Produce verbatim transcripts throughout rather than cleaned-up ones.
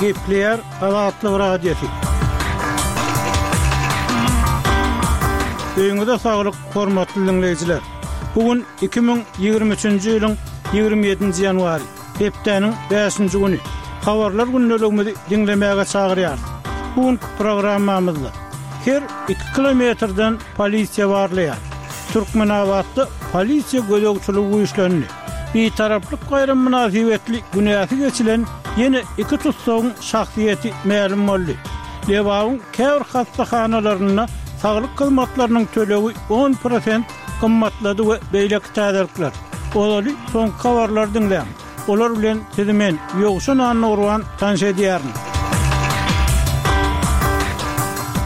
Gepleýär Azatlyk Radiosy. Öýüňize saglyk, hormatly diňleýjiler. Bu gün iki müň ýigrimi üçünji ýylyň ýigrimi ýedinji ýanwary, hepdäniň bäşinji güni. Habarlar gündeligimizi diňlemäge çagyrýarys. Bu günki programmamyzda her iki kilometrden polisiýa barlaýar. Türkmenabatda polisiýa gözegçiligi güýçlendi. Bitaraplyk baýramy mynasybetli günäsi geçilen ýene iki tussagyň şahsyýeti mälim boldy. Lebabyň käbir hassahanalarynda saglyk hyzmatlarynyň tölegi on prosent gymmatlady we beýleki täzelikler. Ozaly soňky habarlary diňläň. Olar bilen sizi men, Ýowşan Annagurban tanyş edýärin.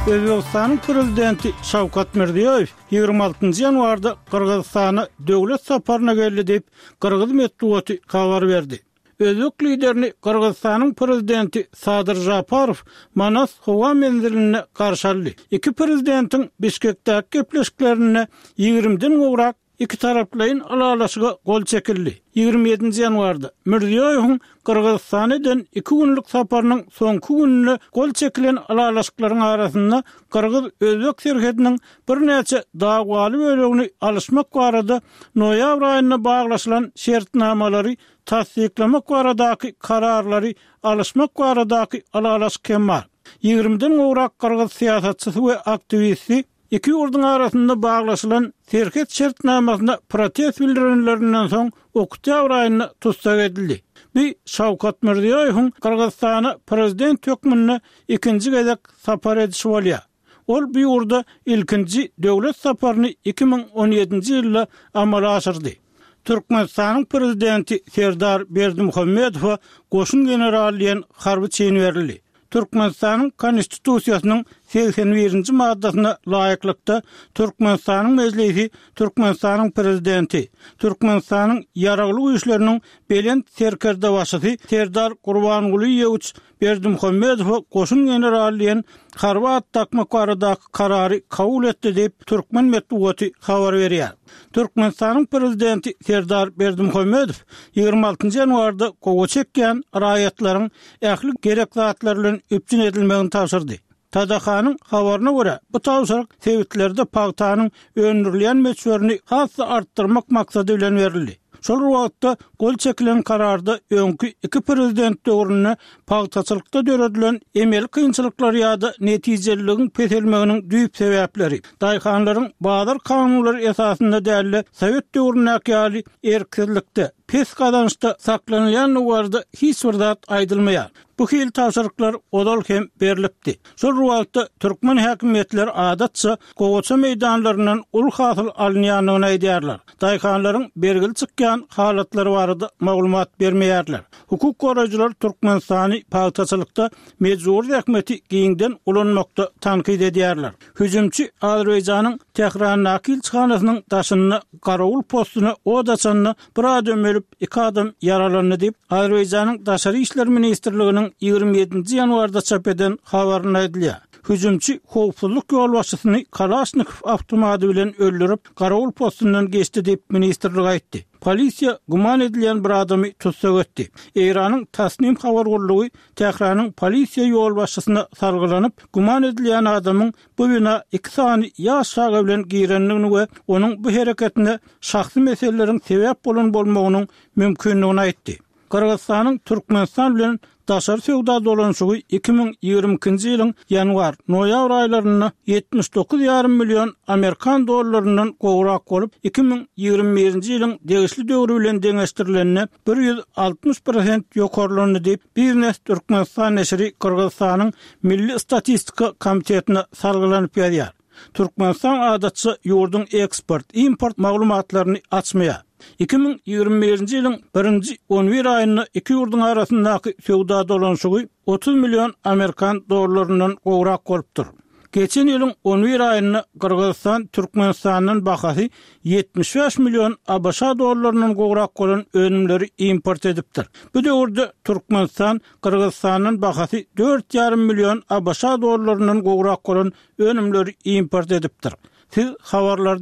Özbegistanyň prezidenti Şawkat Mirziýoýew ýigrimi altynjy ýanwarda Gyrgyzystana döwlet saparyna geldi diýip, gyrgyz metbugaty habar berdi. Özbek liderini Gyrgyzystanyň prezidenti Sadyr Žaparow Manas howa menzilinde garşy aldy. Iki prezidentiň Bişkekdäki gepleşiklerinde ýigrimiden gowrak ikitaraplaýyn ylalaşyga gol çekildi. Ýigrimi ýedinji ýanwarda Mirziýoýewiň Gyrgyzystana eden iki günlük saparynyň soňky gününde gol çekilen ylalaşyklaryň arasynda gyrgyz-özbek serhediniň birnäçe dawaly bölegini alyşmak barada noýabr aýynda baglaşylan şertnamalary tassyklamak baradaky kararlary alyşmak baradaky ylalaşyk hem bar. Ýigrimiden gowrak gyrgyz syýasatçysy we aktiwisti iki ýurduň arasynda baglaşylan serhet şertnamasyna protest bildirenlerinden soň oktýabr aýynda tussag edildi. Bu Şawkat Mirziýoýewiň Gyrgyzystana prezident hökmünde ikinji gezek sapar edişi bolýar. Ol bu ýurda ilkinji döwlet saparyny iki müň on ýedinji ýylda amala aşyrdy. Türkmenistanyň prezidenti Serdar Berdimuhamedowa goşun generaly diýen harby çin berildi. Türkmenistanyň Konstitusiýasynyň segsen birinji maddasyna laýyklykda Türkmenistanyň Mejlisi Türkmenistanyň Prezidenti, Türkmenistanyň Ýaragly Güýçleriniň Belent Serkerdebaşysy Serdar Gurbangulyýewiç Berdimuhamedowa goşun generaly diýen harby at dakmak baradaky karary kabul etdi diýip, türkmen metbugaty habar berýär. Türkmenistanyň Prezidenti Serdar Berdimuhamedow ýigrimi altynjy ýanwarda gowa çekýän raýatlaryň ähli gerek zatlar bilen üpjün edilmegini tabşyrdy. T D H-nyň habaryna görä, bu tabşyryk sebitlerde pagtanyň öndürilýän möçberini has-da artdyrmak maksady bilen berildi. Şol bir wagtda gol çekilen kararda öňki iki prezident döwründe pagtaçylykda döredilen emeli kynçylyklar ýa-da netijeliligiň peselmeginiň düýp sebäpleri, daýhanlaryň bazar kanunlary esasynda däl-de, sowet döwründäki ýaly erksizlikde, pes gazançda saklanylýandygy barada hiç bir zat aýdylmaýar. Bu hili tabşyryklar ozal hem berlipdi. Şol bir wagtda türkmen häkimiýetleri adatça gowaça meýdanlaryndan uly hasyl alynýandygyny aýdýarlar. Daýhanlaryň bergili çykýan halatlary barada maglumat bermeýärler. Hukuk goraýjylar Türkmenistany pagtaçylykda mejbury zähmeti giňden ulanmakda tankyt edýärler. Hüjümçi Azerbaýjanyň Tährandaky ilçihanasynyň daşynda garawul postuna od açanda bir adam ölüp, iki adam ýaralandy diýip, Azerbaýjanyň Daşary işler ministrliginiň ýigrimi ýedinji ýanwarda çap eden habarynda aýdylýar. Hüjümçi howpsuzlyk ýolbaşçysyny Kalaşnikow awtomady bilen öldürip, garawul postundan geçdi diýip, ministrlik aýtdy. Polisiýa güman edilýän bir adamy tussag etdi. Eýranyň Tasnim habar gullugy Tähranyň polisiýa ýolbaşçysyna salgylanyp, güman edilýän adamyň bu bina iki sany ýaş çaga bilen girendigini we onuň bu hereketine şahsy meseleleriň sebäp bolan bolmagynyň mümkindigini aýtdy. Gyrgyzystanyň Türkmenistan bilen daşary söwda dolanyşygy iki müň ýigrimi ikinji ýylyň ýanwar, noýabr aýlarynda ýetmiş dokuz ýarym million amerikan dollaryndan gowrak bolup, iki müň ýigrimi birinji ýylyň degişli döwri bilen deňeşdirilende bir ýüz altmyş prosent ýokarlandy diýip, Biznes Türkmenistan neşiri Gyrgyzystanyň Milli statistika komitetine salgylanyp ýazýar. Türkmenistan adatça ýurduň eksport-import maglumatlaryny açmaýar. Iki müň ýigrimi birinji ýylyň birinji on bir aýynda iki ýurduň arasyndaky söwda dolanyşygy otuz million amerikan dollaryndan gowrak bolupdyr. Geçen ýylyň on bir aýynda Gyrgyzystan Türkmenistandan bahasy ýetmiş bäş million A B Ş dollaryndan gowrak bolan önümleri import edipdir. Bu döwürde Türkmenistan Gyrgyzystandan bahasy dört ýarym million A B Ş dollaryndan gowrak bolan önümleri import edipdir. Siz habarlarda